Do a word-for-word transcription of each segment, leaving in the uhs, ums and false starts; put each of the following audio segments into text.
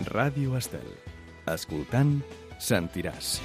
Ràdio Estel. Escoltant, sentiràs.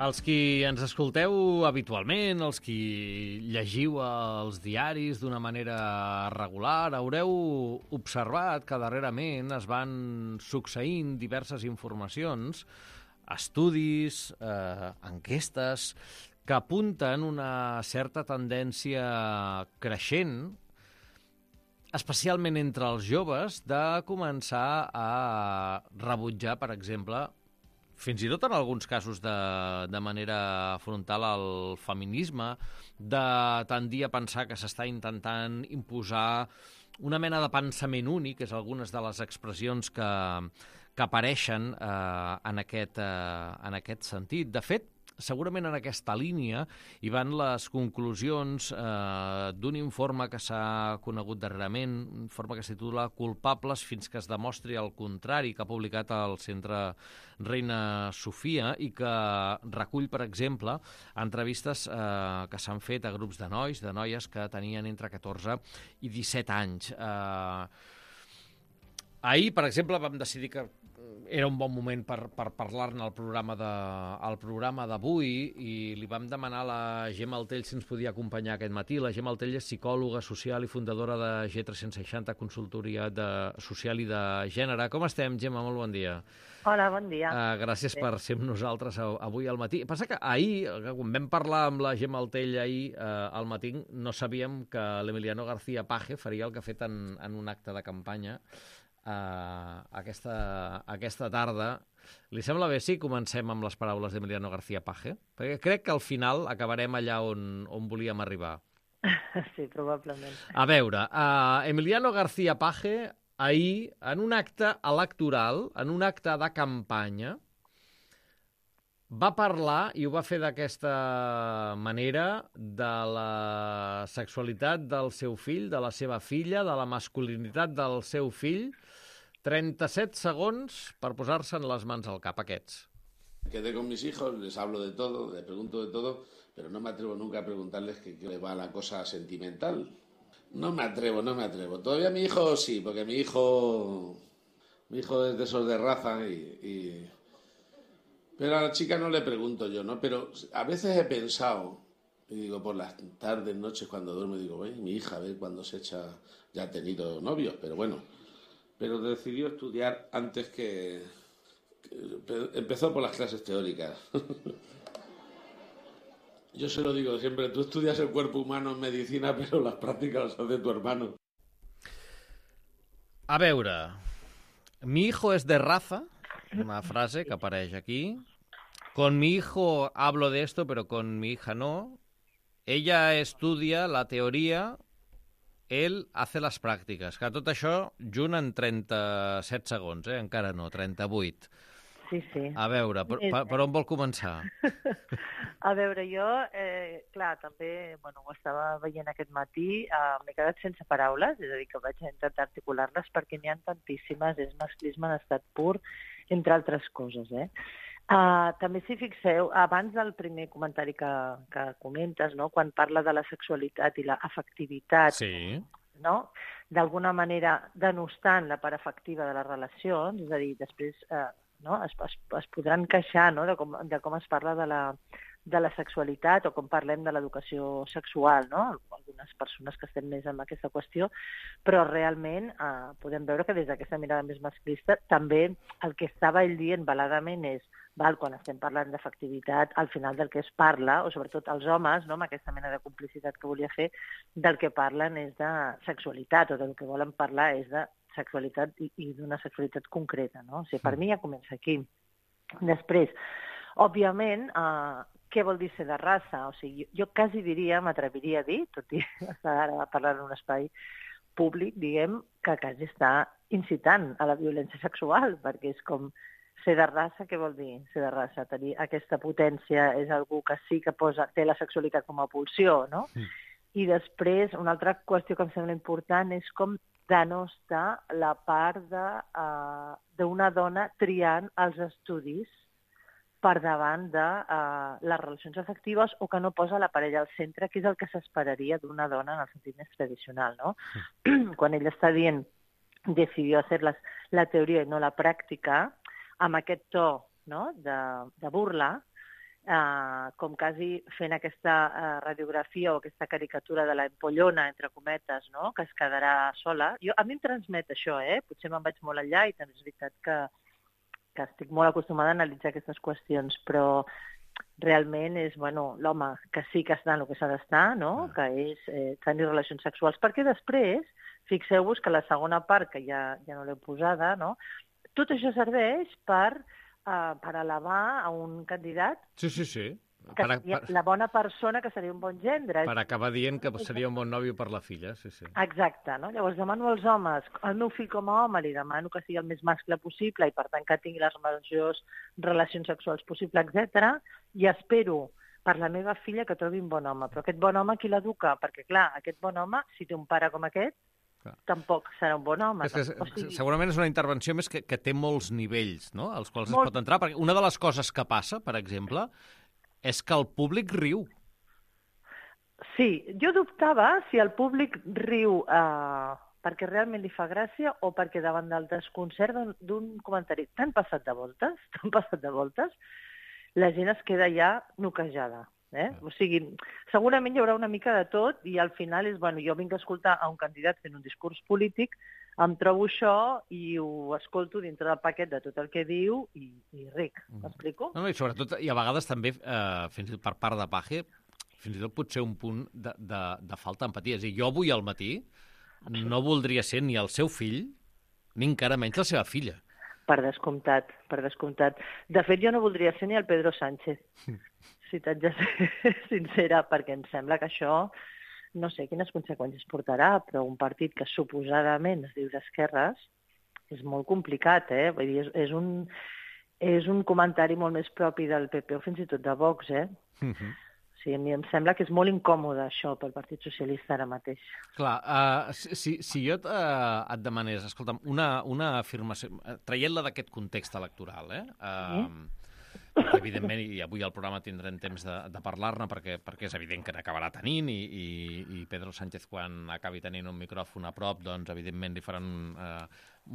Els qui ens escolteu habitualment, els qui llegiu els diaris d'una manera regular, haureu observat que darrerament es van succeint diverses informacions, estudis, eh, enquestes, que apunten una certa tendència creixent, especialment entre els joves, de començar a rebutjar, per exemple, fins i tot en alguns casos de, de manera frontal al feminisme, de tendir a pensar que s'està intentant imposar una mena de pensament únic, és algunes de les expressions que, que apareixen eh, en, aquest, eh, en aquest sentit. De fet, segurament en aquesta línia hi van les conclusions eh, d'un informe que s'ha conegut darrerament, un informe que es titula Culpables fins que es demostri el contrari, que ha publicat el Centre Reina Sofia i que recull, per exemple, entrevistes eh, que s'han fet a grups de nois, de noies que tenien entre catorze i disset anys. Eh, ahir, per exemple, vam decidir que era un bon moment per, per parlar-ne al programa de, al programa d'avui i li vam demanar a la Gemma Altell si ens podia acompanyar aquest matí. La Gemma Altell és psicòloga social i fundadora de G tres-cents seixanta, consultoria de, social i de gènere. Com estem, Gemma? Molt bon dia. Hola, bon dia. Uh, gràcies sí. per ser amb nosaltres avui al matí. Passa que ahir, quan vam parlar amb la Gemma Altell ahir uh, al matí, no sabíem que l'Emiliano García Paje faria el que ha fet en, en un acte de campanya Uh, aquesta, aquesta tarda. Li sembla bé si comencem amb les paraules d'Emiliano García Paje? Perquè crec que al final acabarem allà on, on volíem arribar. Sí, probablement. A veure, uh, Emiliano García Paje ahir, en un acte electoral, en un acte de campanya, va parlar, i ho va fer d'aquesta manera, de la sexualitat del seu fill, de la seva filla, de la masculinitat del seu fill. trenta-set segons per posar-se en les mans al cap, aquests. Quedé con mis hijos, les hablo de todo, les pregunto de todo, pero no me atrevo nunca a preguntarles qué le va la cosa sentimental. No me atrevo, no me atrevo. Todavía mi hijo sí, porque mi hijo, mi hijo es de esos de raza y... y... Pero a la chica no le pregunto yo, ¿no? Pero a veces he pensado, y digo, por las tardes, noches, cuando duermo, digo, "Ey, mi hija, a ver cuándo se echa", ya ha tenido novios, pero bueno. Pero decidió estudiar antes que... que empezó por las clases teóricas. Yo se lo digo siempre, tú estudias el cuerpo humano en medicina, pero las prácticas las hace tu hermano. A veure, mi hijo es de raza... Una frase que apareix aquí. Con mi hijo hablo de esto, pero con mi hija no. Ella estudia la teoria, él hace les pràctiques. Que tot això junt en trenta-set segons, eh? Encara no, trenta-vuit. Sí, sí. A veure, per, per, per on vol començar? A veure, jo, eh, clar, també, bueno, ho estava veient aquest matí, eh, m'he quedat sense paraules, és a dir, que vaig intentar articular-les perquè n'hi ha tantíssimes, és masclisme en estat pur, entre altres coses, eh? Uh, també, si fixeu, abans del primer comentari que, que comentes, no? Quan parla de la sexualitat i l'afectivitat, sí. No? D'alguna manera denostant la part afectiva de les relacions, és a dir, després eh, no? es, es, es podran queixar, no? de, com, de com es parla de la, de la sexualitat o com parlem de l'educació sexual, no? Algunes persones que estem més en aquesta qüestió, però realment eh, podem veure que des d'aquesta mirada més masclista també el que estava ell dient veladament és val, quan estem parlant d'efectivitat, al final del que es parla, o sobretot els homes, no, amb aquesta mena de complicitat que volia fer, del que parlen és de sexualitat, o del que volen parlar és de sexualitat i, i d'una sexualitat concreta, no? O sigui, per mi ja comença aquí. Després, òbviament, eh, què vol dir ser de raça? O sigui, jo, jo quasi diria, m'atreviria a dir, tot i estar ara parlant en un espai públic, diguem, que quasi està incitant a la violència sexual, perquè és com ser de raça, què vol dir ser de raça? Tenir aquesta potència és algú que sí que posa, té la sexualitat com a pulsió, no? Mm. I després, una altra qüestió que em sembla important és com denosta la part d'una uh, dona triant els estudis per davant de uh, les relacions afectives o que no posa la parella al centre, que és el que s'esperaria d'una dona en el sentit més tradicional, no? Mm. Quan ella està dient decidió hacer la, la teoria i no la pràctica, amb aquest to, no?, de, de burla, eh, com quasi fent aquesta eh, radiografia o aquesta caricatura de la empollona, entre cometes, no?, que es quedarà sola. Jo, a mi em transmet això, eh? Potser me'n vaig molt enllà i també és veritat que, que estic molt acostumada a analitzar aquestes qüestions, però realment és, bueno, l'home que sí que està en el que s'ha d'estar, no?, ah. que és eh, tenir relacions sexuals, perquè després, fixeu-vos que la segona part, que ja, ja no l'he posada, no?, tot això serveix per, uh, per elevar a un candidat sí, sí, sí. que per, seria per, la bona persona, que seria un bon gendre. Per acabar dient que seria un bon nòvio per la filla, sí, sí. Exacte, no? Llavors demano als homes, al meu fill com a home li demano que sigui el més mascle possible i per tant que tingui les majors relacions sexuals possibles, etcètera. I espero per la meva filla que trobi un bon home. Però aquest bon home qui l'educa? Perquè clar, aquest bon home, si té un pare com aquest, tampoc serà un bon home. És que, o sigui... Segurament és una intervenció més que, que té molts nivells, no?, als quals Molt... es pot entrar. Perquè una de les coses que passa, per exemple, és que el públic riu. Sí, jo dubtava si el públic riu eh, perquè realment li fa gràcia o perquè davant del desconcert d'un comentari tan passat de voltes, tan passat de voltes, la gent es queda ja noquejada. Eh? O sigui, segurament hi haurà una mica de tot i al final és, bueno, jo vinc a escoltar a un candidat fent un discurs polític, em trobo això i ho escolto dintre del paquet de tot el que diu i, i ric, m'explico? No, no, i sobretot, i a vegades també, eh, fins i tot per part de Page, fins i tot pot ser un punt de, de, de falta d'empatia. És a dir, jo avui al matí no voldria ser ni el seu fill ni encara menys la seva filla. Per descomptat, per descomptat. De fet, jo no voldria ser ni el Pedro Sánchez, si t'haig de ser sincera, perquè em sembla que això, no sé quines conseqüències portarà, però un partit que suposadament es diu d'esquerres és molt complicat, eh? Vull dir, és, és, un, és un comentari molt més propi del P P o fins i tot de Vox, eh? Uh-huh. Sí, a mi em sembla que és molt incòmode això pel Partit Socialista ara mateix. Clar, uh, si, si jo uh, et demanés, escolta'm, una, una afirmació, traient-la d'aquest context electoral, eh? Uh, sí? Evidentment, i avui al programa tindrem temps de, de parlar-ne perquè, perquè és evident que n'acabarà tenint i, i, i Pedro Sánchez, quan acabi tenint un micròfon a prop, doncs evidentment li faran eh,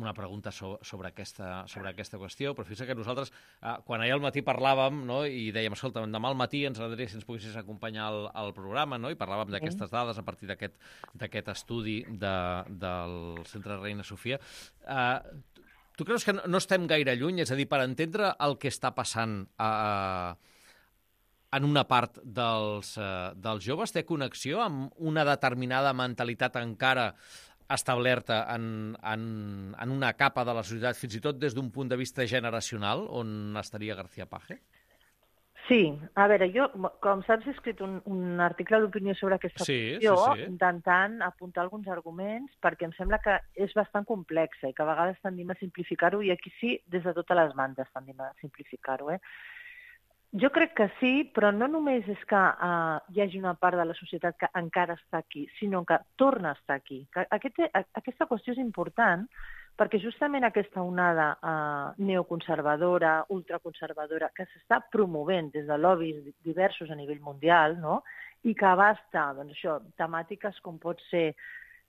una pregunta so, sobre, aquesta, sobre aquesta qüestió, però fixa que nosaltres, eh, quan ahir al matí parlàvem, no, i dèiem, escolta, demà al matí ens agradaria si ens poguessis acompanyar al, al programa, no, i parlàvem d'aquestes dades a partir d'aquest estudi de, del Centre Reina Sofia. Eh, Tu creus que no estem gaire lluny? És a dir, per entendre el que està passant eh, en una part dels, eh, dels joves, té connexió amb una determinada mentalitat encara establerta en, en, en una capa de la societat, fins i tot des d'un punt de vista generacional, on estaria García Page? Sí, a veure, jo, com saps, he escrit un, un article d'opinió sobre aquesta sí, qüestió, sí, sí. intentant apuntar alguns arguments, perquè em sembla que és bastant complexa i que a vegades tendim a simplificar-ho, i aquí sí, des de totes les bandes tendim a simplificar-ho. Eh? Jo crec que sí, però no només és que uh, hi hagi una part de la societat que encara està aquí, sinó que torna a estar aquí. Que aquest, aquesta qüestió és important, perquè justament aquesta onada eh, neoconservadora, ultraconservadora, que s'està promovent des de lobbies diversos a nivell mundial, no?, i que abasta, doncs això, temàtiques com pot ser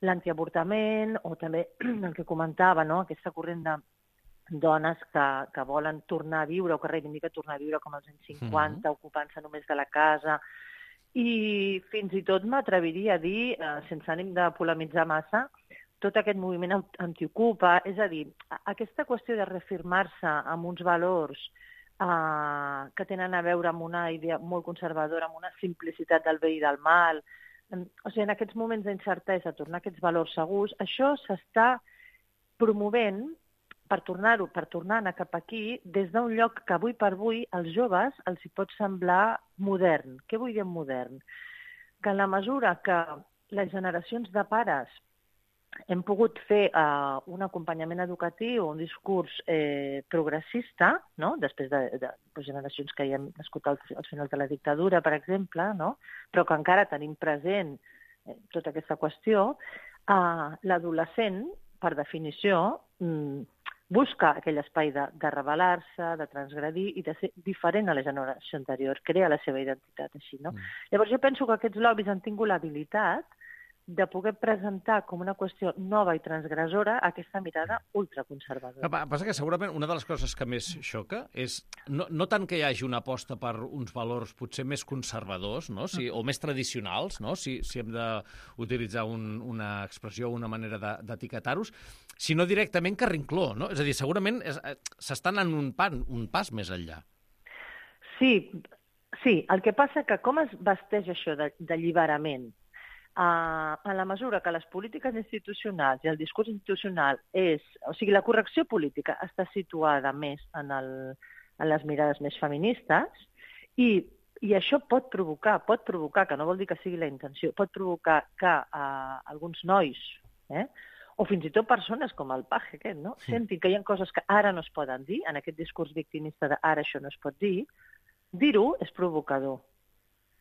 l'antiavortament o també el que comentava, no?, aquesta corrent de dones que, que volen tornar a viure o que reivindica tornar a viure com als anys cinquanta, mm-hmm. ocupant-se només de la casa. I fins i tot m'atreviria a dir, eh, sense ànim de polemitzar massa, tot aquest moviment antiocupa, és a dir, aquesta qüestió de reafirmar-se amb uns valors eh, que tenen a veure amb una idea molt conservadora, amb una simplicitat del bé i del mal, o sigui, en aquests moments d'incertesa, tornar a aquests valors segurs, això s'està promovent per tornar-ho, per tornar a anar cap aquí, des d'un lloc que avui per avui als joves els hi pot semblar modern. Què vull dir modern? Que en la mesura que les generacions de pares hem pogut fer uh, un acompanyament educatiu, un discurs eh, progressista, no? Després de, de, de generacions que hi hem nascut al, al final de la dictadura, per exemple, no? Però que encara tenim present eh, tota aquesta qüestió, uh, l'adolescent, per definició, mm, busca aquell espai de, de rebel·lar-se, de transgredir i de ser diferent a la generació anterior, crea la seva identitat així, no? Mm. Llavors jo penso que aquests lobbies han tingut l'habilitat de poder presentar com una qüestió nova i transgressora aquesta mirada ultraconservadora. El que passa que segurament una de les coses que més xoca és no, no tant que hi hagi una aposta per uns valors potser més conservadors, no? Si, o més tradicionals, no? si, si hem d'utilitzar un, una expressió o una manera d'etiquetar-los, sinó directament carrincló, no? És a dir, segurament s'estan en un, pan, un pas més enllà. Sí, sí, el que passa que com es vesteix això d'alliberament? Uh, en la mesura que les polítiques institucionals i el discurs institucional és... O sigui, la correcció política està situada més en, el, en les mirades més feministes i, i això pot provocar, pot provocar, que no vol dir que sigui la intenció, pot provocar que uh, alguns nois, eh, o fins i tot persones com el Paje aquest, no? Sí. Sentin que hi ha coses que ara no es poden dir, en aquest discurs victimista de ara això no es pot dir, dir-ho és provocador.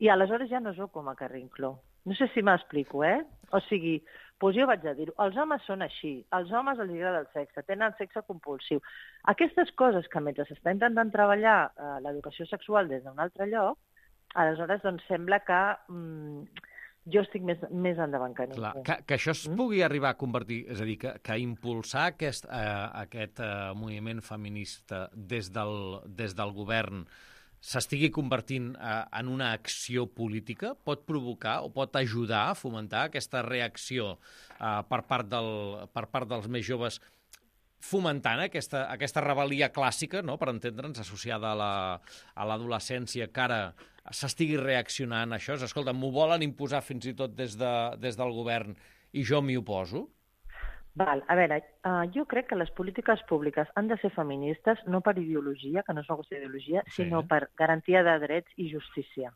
I aleshores ja no sóc com a Carrincló. No sé si m'explico, eh? O sigui, doncs jo vaig a dir-ho, els homes són així, als homes els agrada el sexe, tenen sexe compulsiu. Aquestes coses que mentre s'està intentant treballar eh, l'educació sexual des d'un altre lloc, aleshores doncs sembla que mm, jo estic més, més endavant que ningú. Clar, que, que això es pugui mm? arribar a convertir, és a dir, que, que impulsar aquest, eh, aquest eh, moviment feminista des del, des del govern s'estigui convertint eh, en una acció política, pot provocar o pot ajudar a fomentar aquesta reacció eh, per, part del, per part dels més joves, fomentant aquesta, aquesta rebel·lia clàssica, no?, per entendre'ns, associada a l'adolescència, que ara s'estigui reaccionant a això. Escolta, m'ho volen imposar fins i tot des, de, des del govern i jo m'hi oposo? Val, a veure, uh, jo crec que les polítiques públiques han de ser feministes no per ideologia, que no és una qüestió d'ideologia, sí. sinó per garantia de drets i justícia.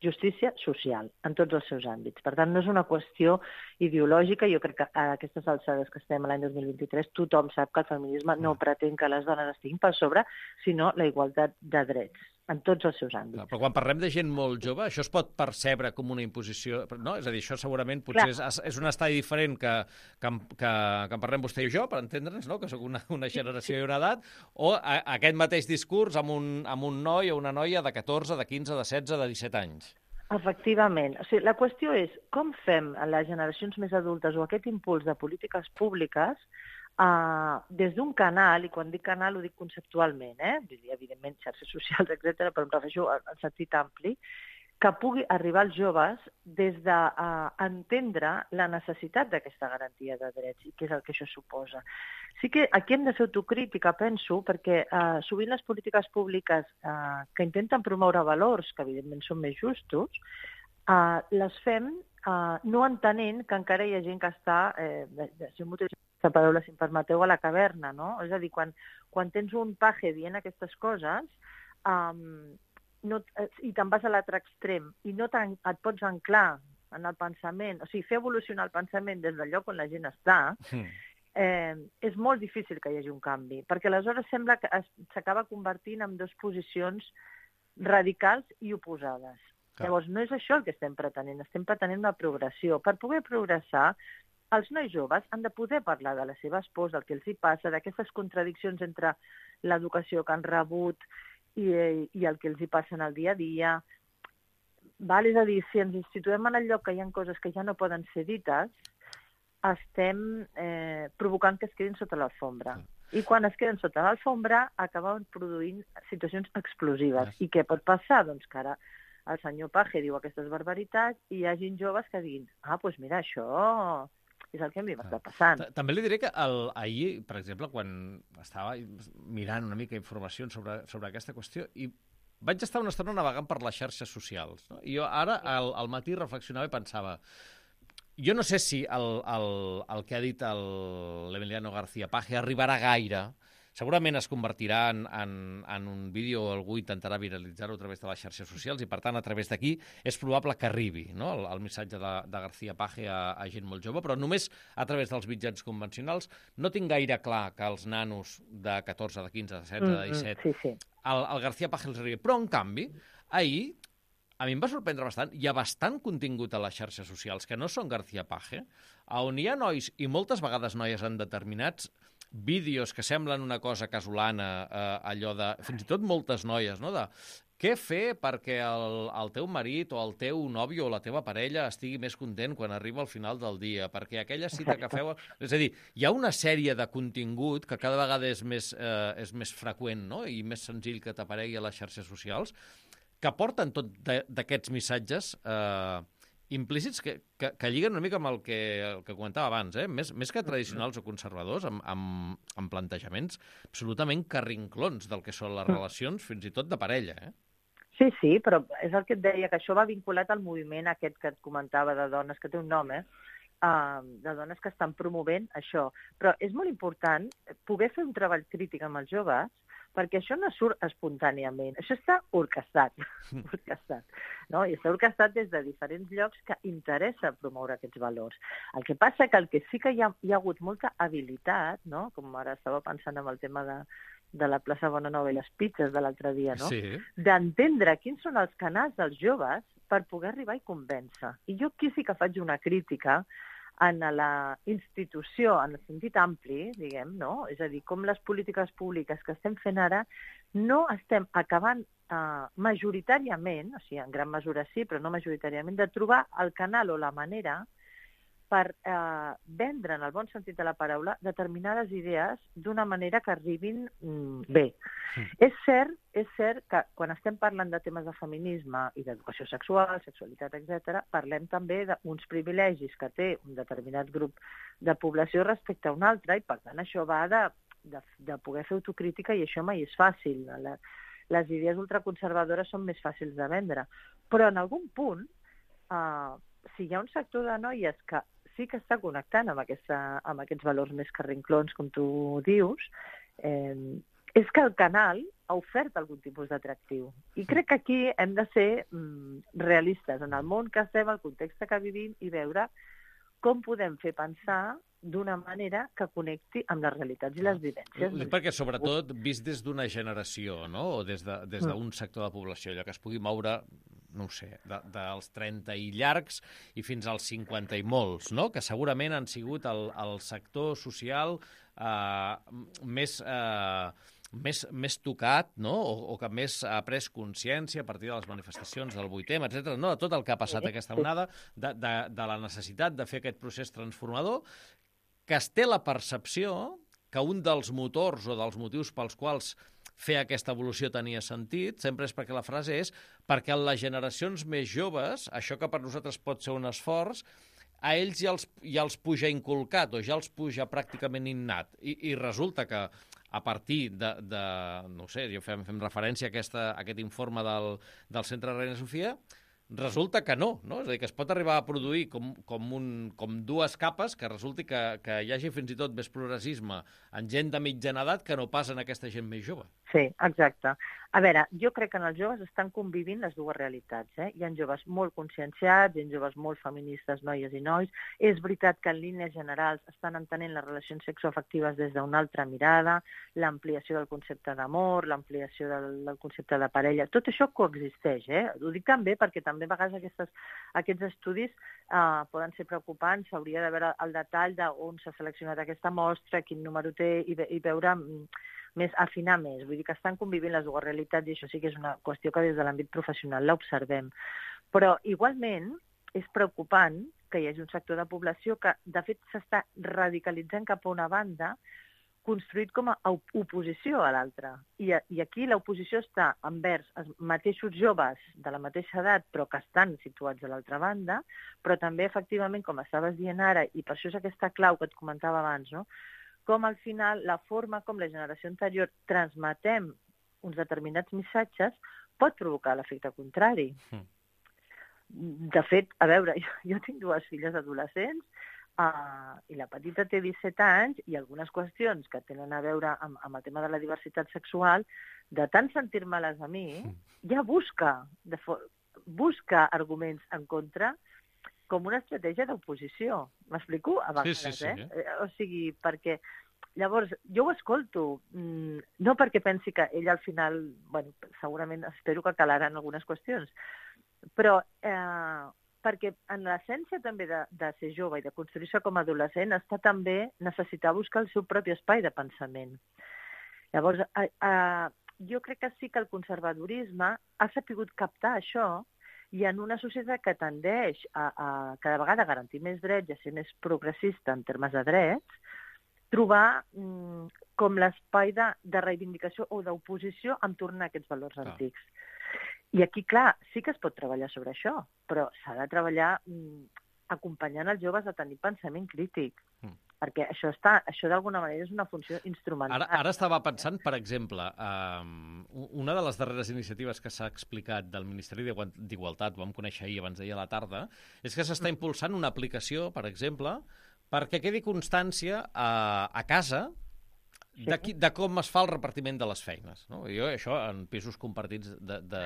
Justícia social, en tots els seus àmbits. Per tant, no és una qüestió ideològica. Jo crec que a aquestes alçades que estem l'any dos mil vint-i-tres tothom sap que el feminisme no pretén que les dones estiguin per sobre, sinó la igualtat de drets en tots els seus àmbits. Però quan parlem de gent molt jove, això es pot percebre com una imposició, no? És a dir, això segurament potser és, és un estadi diferent que, que, que, que en parlem vostè i jo, per entendre'ns, no?, que soc una, una generació i una edat, o a, aquest mateix discurs amb un, amb un noi o una noia de catorze, de quinze, de setze, de disset anys. Efectivament. O sigui, la qüestió és com fem a les generacions més adultes o aquest impuls de polítiques públiques uh, des d'un canal, i quan dic canal ho dic conceptualment, eh? evidentment xarxes socials, etcètera, però em refereixo en sentit ampli, que pugui arribar als joves des d'entendre uh, la necessitat d'aquesta garantia de drets i què és el que això suposa. Sí que aquí hem de fer autocrítica, penso, perquè uh, sovint les polítiques públiques uh, que intenten promoure valors, que evidentment són més justos, uh, les fem uh, no entenent que encara hi ha gent que està, eh, si m'utilitzo aquesta paraula, si em permeteu, a la caverna, no? És a dir, quan, quan tens un paje dient aquestes coses, um, no, i te'n vas a l'altre extrem i no et pots anclar en el pensament, o sigui, fer evolucionar el pensament des del lloc on la gent està, eh, és molt difícil que hi hagi un canvi, perquè aleshores sembla que s'acaba convertint en dues posicions radicals i oposades. Clar. Llavors, no és això el que estem pretenent, estem pretenent una progressió. Per poder progressar, els nois joves han de poder parlar de les seves pors, del que els hi passa, d'aquestes contradiccions entre l'educació que han rebut I, i el que els hi passa en el dia a dia. Val? És a dir, si ens situem en el lloc que hi ha coses que ja no poden ser dites, estem eh, provocant que es quedin sota l'alfombra. I quan es queden sota l'alfombra, acaben produint situacions explosives. I què pot passar? Doncs que ara el senyor Paje diu aquestes barbaritats i hi ha gent joves que diguin, ah, doncs mira, això és el que a mi m'està passant. També li diré que el, ahir, per exemple, quan estava mirant una mica informació sobre, sobre aquesta qüestió, i vaig estar una estona navegant per les xarxes socials, no? I jo ara, al, al matí, reflexionava i pensava, jo no sé si el, el, el que ha dit l'Emiliano García Paje arribarà gaire segurament es convertirà en, en, en un vídeo, algú intentarà viralitzar-ho a través de les xarxes socials i, per tant, a través d'aquí és probable que arribi, no?, el, el missatge de, de García Page a, a gent molt jove, però només a través dels mitjans convencionals. No tinc gaire clar que els nanos de catorze, de quinze, de setze, de disset, mm, sí, sí. el, el García Page els arribi. Però, en canvi, ahir, a mi em va sorprendre bastant, hi ha bastant contingut a les xarxes socials que no són García Page, on hi ha nois, i moltes vegades noies en determinats vídeos que semblen una cosa casolana, eh, allò de... Fins i tot moltes noies, no?, de què fer perquè el, el teu marit o el teu nòvio o la teva parella estigui més content quan arriba al final del dia, perquè aquella cita que feu... És a dir, hi ha una sèrie de contingut que cada vegada és més, eh, és més freqüent, no?, i més senzill que t'aparegui a les xarxes socials, que porten tot d'aquests missatges eh, implícits que, que, que lliguen una mica amb el que, el que comentava abans, eh? més, més que tradicionals o conservadors, amb, amb, amb plantejaments absolutament carrinclons del que són les relacions, fins i tot de parella. Eh? Sí, sí, però és el que et deia, que això va vinculat al moviment aquest que et comentava de dones, que té un nom, eh? Uh, de dones que estan promovent això. Però és molt important poder fer un treball crític amb els joves, perquè això no surt espontàniament, això està orquestat, orquestat, no? I està orquestat des de diferents llocs que interessa promoure aquests valors. El que passa que el que sí que hi ha, hi ha hagut molta habilitat, no?, com ara estava pensant en el tema de, de la plaça Bonanova i les pizzas de l'altre dia, no?, sí, d'entendre quins són els canals dels joves per poder arribar i convèncer. I jo aquí sí que faig una crítica en la institució, en el sentit ampli, diguem, no? És a dir, com les polítiques públiques que estem fent ara no estem acabant eh, majoritàriament, o sigui, en gran mesura sí, però no majoritàriament, de trobar el canal o la manera per eh, vendre, en el bon sentit de la paraula, determinades idees d'una manera que arribin mm, bé. Mm. És cert, és cert que quan estem parlant de temes de feminisme i d'educació sexual, sexualitat, etcètera, parlem també d'uns privilegis que té un determinat grup de població respecte a un altre, i per tant això va de, de, de poder fer autocrítica, i això mai és fàcil. La, les idees ultraconservadores són més fàcils de vendre. Però en algun punt, eh, si hi ha un sector de noies que sí que està connectant amb, aquesta, amb aquests valors més carrinclons, com tu dius, eh, és que el canal ha ofert algun tipus d'atractiu. I crec que aquí hem de ser mm, realistes en el món que estem, el context que vivim, i veure com podem fer pensar d'una manera que connecti amb les realitats i les vivències. Perquè, sobretot, vist des d'una generació, no?, o des d'un de, des d'un sector de població, allò que es pugui moure, no ho sé, de, dels trenta i llargs i fins als cinquanta i molts, no?, que segurament han sigut el, el sector social eh, més... Eh, Més, més tocat, no?, o, o que més ha pres consciència a partir de les manifestacions del vuit eme, etcètera, no?, de tot el que ha passat aquesta onada, de, de, de la necessitat de fer aquest procés transformador, que es té la percepció que un dels motors o dels motius pels quals fer aquesta evolució tenia sentit, sempre és perquè la frase és perquè en les generacions més joves, això que per nosaltres pot ser un esforç, a ells ja els, ja els puja inculcat o ja els puja pràcticament innat. I, i resulta que a partir de, de no sé, jo fem, fem referència a, aquesta, a aquest informe del, del Centre Reina Sofia, resulta que no, no? És a dir, que es pot arribar a produir com, com, un, com dues capes, que resulti que, que hi hagi fins i tot més progressisme en gent de mitjana edat que no pas en aquesta gent més jove. Sí, exacte. A veure, jo crec que en els joves estan convivint les dues realitats. Eh? Hi ha joves molt conscienciats, hi ha joves molt feministes, noies i nois. És veritat que en línies generals estan entenent les relacions sexoafectives des d'una altra mirada, l'ampliació del concepte d'amor, l'ampliació del, del concepte de parella. Tot això coexisteix. Eh? Ho dic també perquè també a vegades aquestes, aquests estudis eh, poden ser preocupants. S'hauria de veure el detall d'on s'ha seleccionat aquesta mostra, quin número té, i, i veure... més afinar més, vull dir que estan convivint les dues realitats, i això sí que és una qüestió que des de l'àmbit professional l'observem. Però igualment és preocupant que hi hagi un sector de població que de fet s'està radicalitzant cap a una banda construït com a oposició a l'altra. I, I aquí l'oposició està envers els mateixos joves de la mateixa edat però que estan situats a l'altra banda, però també efectivament, com estaves dient ara, i per això és aquesta clau que et comentava abans, no?, com al final la forma com la generació anterior transmetem uns determinats missatges pot provocar l'efecte contrari. Mm. De fet, a veure, jo, jo tinc dues filles adolescents, Uh, I la petita té disset anys i algunes qüestions que tenen a veure amb, amb el tema de la diversitat sexual, de tant sentir-me-les a mi, ja busca, de busca arguments en contra com una estratègia d'oposició. M'explico? A vegades, sí, sí, sí. eh? O sigui, perquè llavors, jo ho escolto, no perquè pensi que ell al final, bueno, segurament espero que calaran algunes qüestions, però eh, perquè en l'essència també de, de ser jove i de construir-se com a adolescent està també necessitar buscar el seu propi espai de pensament. Llavors, eh, eh, jo crec que sí que el conservadorisme ha sapigut captar això i en una societat que tendeix a, a cada vegada garantir més drets i a ser més progressista en termes de drets, trobar mm, com l'espai de, de reivindicació o d'oposició en tornar a aquests valors clar. Antics. I aquí, clar, sí que es pot treballar sobre això, però s'ha de treballar mm, acompanyant els joves a tenir pensament crític, mm. perquè això està, això d'alguna manera és una funció instrumental. Ara, ara estava pensant, per exemple, um, una de les darreres iniciatives que s'ha explicat del Ministeri d'Igualtat, ho vam conèixer ahir abans d'ahir a la tarda, és que s'està impulsant una aplicació, per exemple, perquè quedi constància a, a casa de, qui, de com es fa el repartiment de les feines. No? Jo, això, en pisos compartits de, de,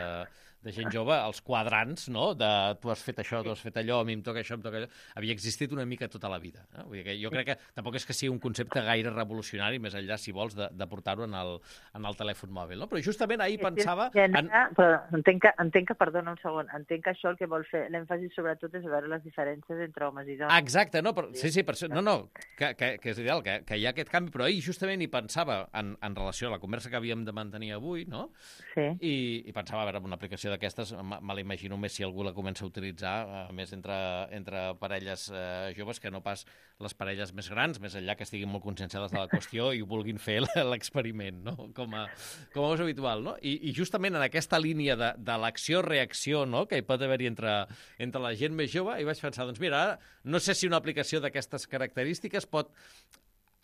de gent jove, els quadrants, no? De tu has fet això, tu has fet allò, a mi em toca això, em toca allò, havia existit una mica tota la vida. No? Vull dir que jo crec que tampoc és que sigui un concepte gaire revolucionari, més enllà, si vols, de, de portar-ho en, el, en el telèfon mòbil. No? Però justament ahir pensava... En... Però entenc que, entenc que, perdona un segon, entenc que això el que vol fer, l'èmfasi sobretot és veure les diferències entre homes i dones. Ah, exacte, no, però, sí, sí, per això, no, no, que, que, que és ideal, que, que hi ha aquest canvi, però ahir justament hi pensava en, en relació a la conversa que havíem de mantenir avui, no? Sí. I, i pensava, a veure, una aplicació d'aquestes, me l'imagino més si algú la comença a utilitzar, eh, més entre, entre parelles eh, joves que no pas les parelles més grans, més enllà que estiguin molt conscienciades de la qüestió i ho vulguin fer l'experiment, no? Com a, com a és habitual, no? I, i justament en aquesta línia de, de l'acció-reacció, no?, que hi pot haver-hi entre, entre la gent més jove, i vaig pensar, doncs mira, ara, no sé si una aplicació d'aquestes característiques pot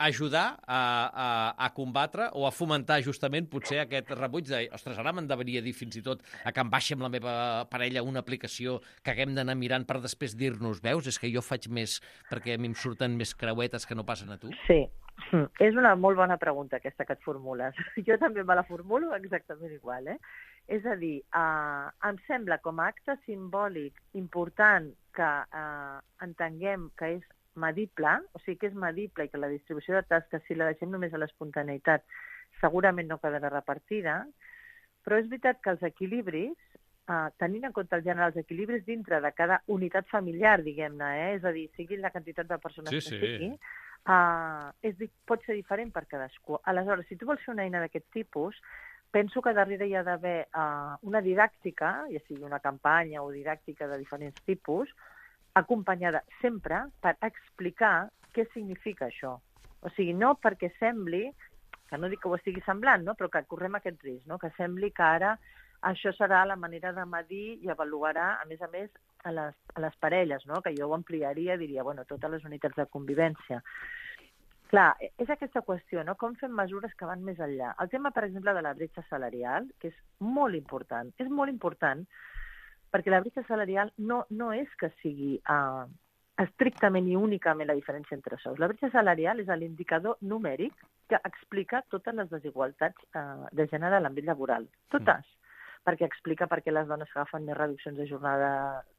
ajudar a, a, a combatre o a fomentar justament potser aquest rebuig de, ostres, ara m'endeveria dir fins i tot a que em baixi amb la meva parella una aplicació que haguem d'anar mirant per després dir-nos, veus, és que jo faig més perquè a mi em surten més creuetes que no passen a tu? Sí, és una molt bona pregunta aquesta que et formules. Jo també me la formulo exactament igual, eh? És a dir, eh, em sembla com a acte simbòlic important que eh, entenguem que és medible, o sigui que és medible i que la distribució de tasques, si la deixem només a l'espontaneïtat, segurament no quedarà repartida, però és veritat que els equilibris, eh, tenint en compte el gènere, els equilibris dintre de cada unitat familiar, diguem-ne, eh, és a dir, sigui la quantitat de persones sí, que sí. sigui, eh, és, pot ser diferent per cadascú. Aleshores, si tu vols fer una eina d'aquest tipus, penso que darrere hi ha d'haver eh, una didàctica, ja sigui una campanya o didàctica de diferents tipus, acompanyada sempre per explicar què significa això. O sigui, no perquè sembli, que no dic que ho estigui semblant, no? Però que correm aquest risc, no? Que sembli que ara això serà la manera de medir i avaluarà, a més a més, a les, a les parelles, no? Que jo ho ampliaria, diria, bueno, totes les unitats de convivència. Clar, és aquesta qüestió, no? Com fem mesures que van més enllà. El tema, per exemple, de la bretxa salarial, que és molt important, és molt important, perquè la bretxa salarial no, no és que sigui uh, estrictament i únicament la diferència entre sous. La bretxa salarial és l'indicador numèric que explica totes les desigualtats uh, de gènere a l'àmbit laboral. Totes. Mm. Perquè explica per què les dones agafen més reduccions de jornada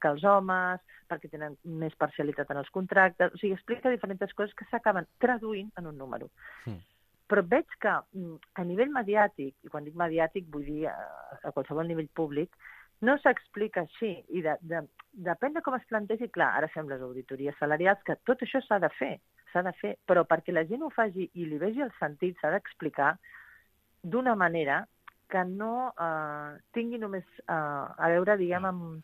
que els homes, perquè tenen més parcialitat en els contractes... O sigui, explica diferents coses que s'acaben traduint en un número. Mm. Però veig que a nivell mediàtic, i quan dic mediàtic vull dir a, a qualsevol nivell públic, no s'explica així, i de, de, depèn de com es plantegi, clar, ara fem les auditories salarials, que tot això s'ha de fer, s'ha de fer, però perquè la gent ho faci i li vegi el sentit, s'ha d'explicar d'una manera que no eh, tingui només eh, a veure, diguem, amb...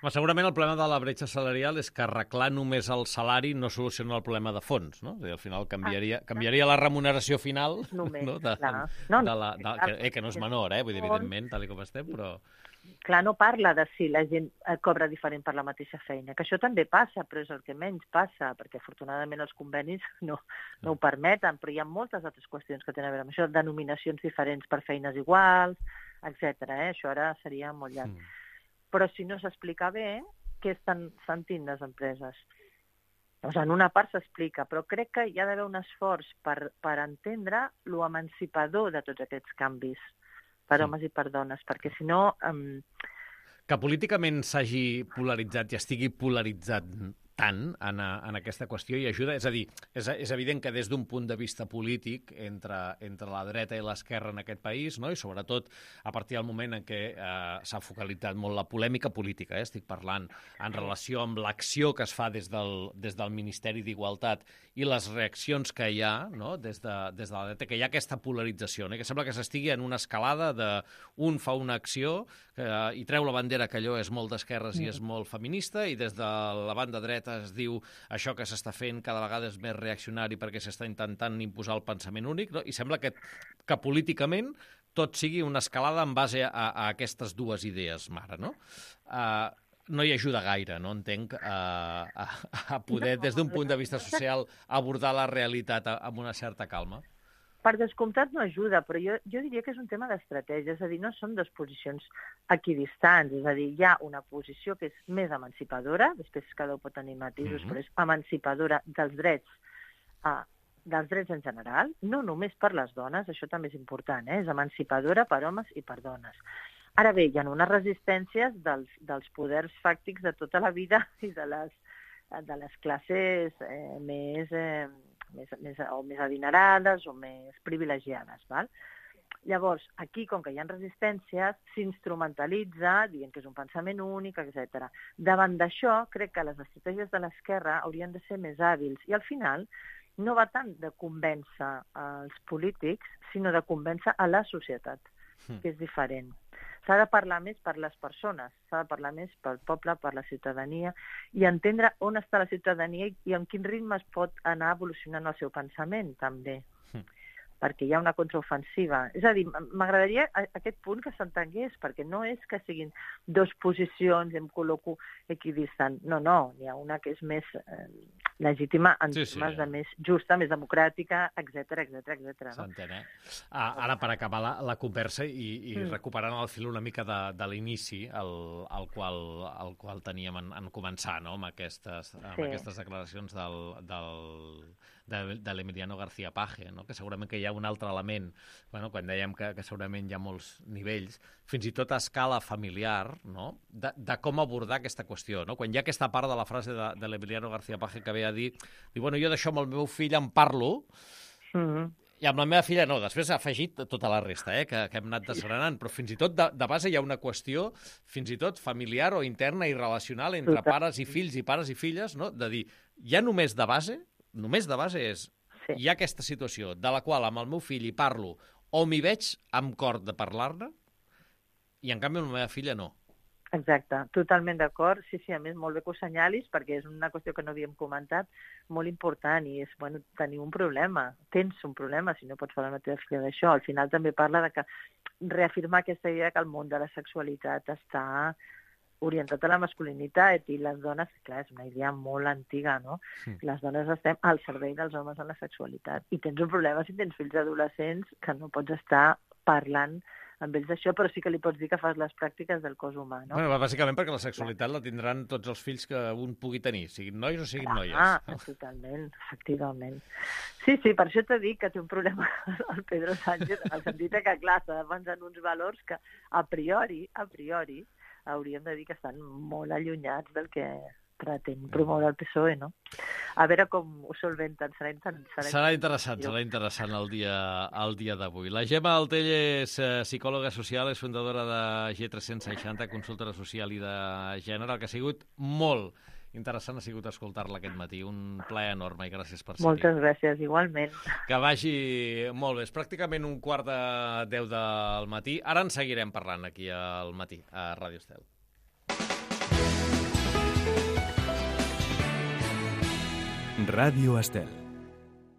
Però segurament el problema de la bretxa salarial és que arreglar només el salari no soluciona el problema de fons, no? Al final canviaria, ah, canviaria la remuneració final, només, no? De, clar. No, de la, de, que, eh, que no és menor, eh? Vull dir, evidentment, tal com estem, però... Clar, no parla de si la gent cobra diferent per la mateixa feina, que això també passa, però és el que menys passa, perquè afortunadament els convenis no, no ho permeten, però hi ha moltes altres qüestions que tenen a veure amb això, denominacions diferents per feines iguals, etcètera. Eh? Això ara seria molt llarg. Mm. Però si no s'explica bé, què estan sentint les empreses? O sigui, en una part s'explica, però crec que hi ha d'haver un esforç per, per entendre lo emancipador de tots aquests canvis per Sí. homes i per dones, perquè si no... Um... Que políticament s'hagi polaritzat i estigui polaritzat tant en, en aquesta qüestió i ajuda. És a dir, és, és evident que des d'un punt de vista polític entre, entre la dreta i l'esquerra en aquest país, no? I sobretot a partir del moment en què eh, s'ha focalitzat molt la polèmica política, eh? Estic parlant en relació amb l'acció que es fa des del, des del Ministeri d'Igualtat i les reaccions que hi ha, no? des, de, des de la dreta, que hi ha aquesta polarització, no? Que sembla que s'estigui en una escalada de un fa una acció eh, i treu la bandera que allò és molt d'esquerres i és molt feminista, i des de la banda dreta es diu això que s'està fent cada vegada és més reaccionari perquè s'està intentant imposar el pensament únic, no? I sembla que, que políticament tot sigui una escalada en base a, a aquestes dues idees, mare, no? Uh, no hi ajuda gaire, no entenc, uh, a, a poder, des d'un punt de vista social, abordar la realitat amb una certa calma. Per descomptat no ajuda, però jo, jo diria que és un tema d'estratègia, és a dir, no són dues posicions equidistants, és a dir, hi ha una posició que és més emancipadora, després cada un pot tenir matisos, mm-hmm. però és emancipadora dels drets, uh, dels drets en general, no només per les dones, això també és important, eh? És emancipadora per homes i per dones. Ara bé, hi ha unes resistències dels, dels poders fàctics de tota la vida i de les, de les classes eh, més... Eh, Més, més, o més adinerades o més privilegiades. Val? Llavors, aquí, com que hi ha resistències, s'instrumentalitza dient que és un pensament únic, etcètera. Davant d'això, crec que les estratègies de l'esquerra haurien de ser més hàbils i al final no va tant de convèncer els polítics, sinó de convèncer a la societat, mm. que és diferent. S'ha de parlar més per les persones, s'ha de parlar més pel poble, per la ciutadania, i entendre on està la ciutadania i en quin ritme es pot anar evolucionant el seu pensament, també. Mm. Perquè hi ha una contraofensiva. És a dir, m'agradaria aquest punt que s'entengués, perquè no és que siguin dues posicions, em col·loco equidistant. No, no, n'hi ha una que és més eh, legítima en sí, termes sí. de més justa, més democràtica, etcètera, etcètera, etcètera. No? S'entén, eh? Ah, ara, per acabar la, la conversa i, i mm. recuperant el fil una mica de, de l'inici, el, el, qual, el qual teníem en, en començar, no?, amb aquestes, amb sí. aquestes declaracions del... del de, de l'Emiliano García Paje, no? Que segurament que hi ha un altre element, bueno, quan dèiem que, que segurament hi ha molts nivells, fins i tot a escala familiar, no? de, de com abordar aquesta qüestió. No? Quan hi ha aquesta part de la frase de, de l'Emiliano García Paje que ve a dir, diu, bueno, jo d'això amb el meu fill en parlo, mm-hmm. i amb la meva filla no, després ha afegit tota la resta, eh, que, que hem anat desgranant, però fins i tot de, de base hi ha una qüestió fins i tot familiar o interna i relacional entre pares i fills i pares i filles, no? De dir, ja només de base, només de base és, sí. hi ha aquesta situació de la qual amb el meu fill hi parlo o m'hi veig amb cor de parlar-ne i en canvi amb la meva filla no. Exacte, totalment d'acord. Sí, sí, a més, molt bé que ho senyalis, perquè és una qüestió que no havíem comentat, molt important, i és, bueno, tenir un problema. Tens un problema, si no pots parlar amb la teva filla d'això. Al final també parla de que reafirmar aquesta idea que el món de la sexualitat està orientat a la masculinitat i les dones, clar, és una idea molt antiga, no? Sí. Les dones estem al servei dels homes en la sexualitat. I tens un problema si tens fills adolescents que no pots estar parlant amb ells d'això, però sí que li pots dir que fas les pràctiques del cos humà, no? Bueno, bàsicament perquè la sexualitat la tindran tots els fills que un pugui tenir, siguin nois o siguin noies. Ah, totalment, efectivament. Sí, sí, per això t'he dit que té un problema el Pedro Sánchez, en el sentit que, clar, s'ha de pensar en uns valors que a priori, a priori, hauríem de dir que estan molt allunyats del que pretén promoure el P S O E, no? A veure com ho solventen. Serà, serà, serà interessant, serà interessant el dia, el dia d'avui. La Gemma Altell és psicòloga social, és fundadora de G tres cents seixanta, consultora social i de gènere, el que ha sigut molt interessant ha sigut escoltar-la aquest matí. Un plaer enorme i gràcies per ser-hi. Moltes gràcies, igualment. Que vagi molt bé. És pràcticament un quart de deu del matí. Ara en seguirem parlant aquí al matí, a Ràdio Estel. Ràdio Estel.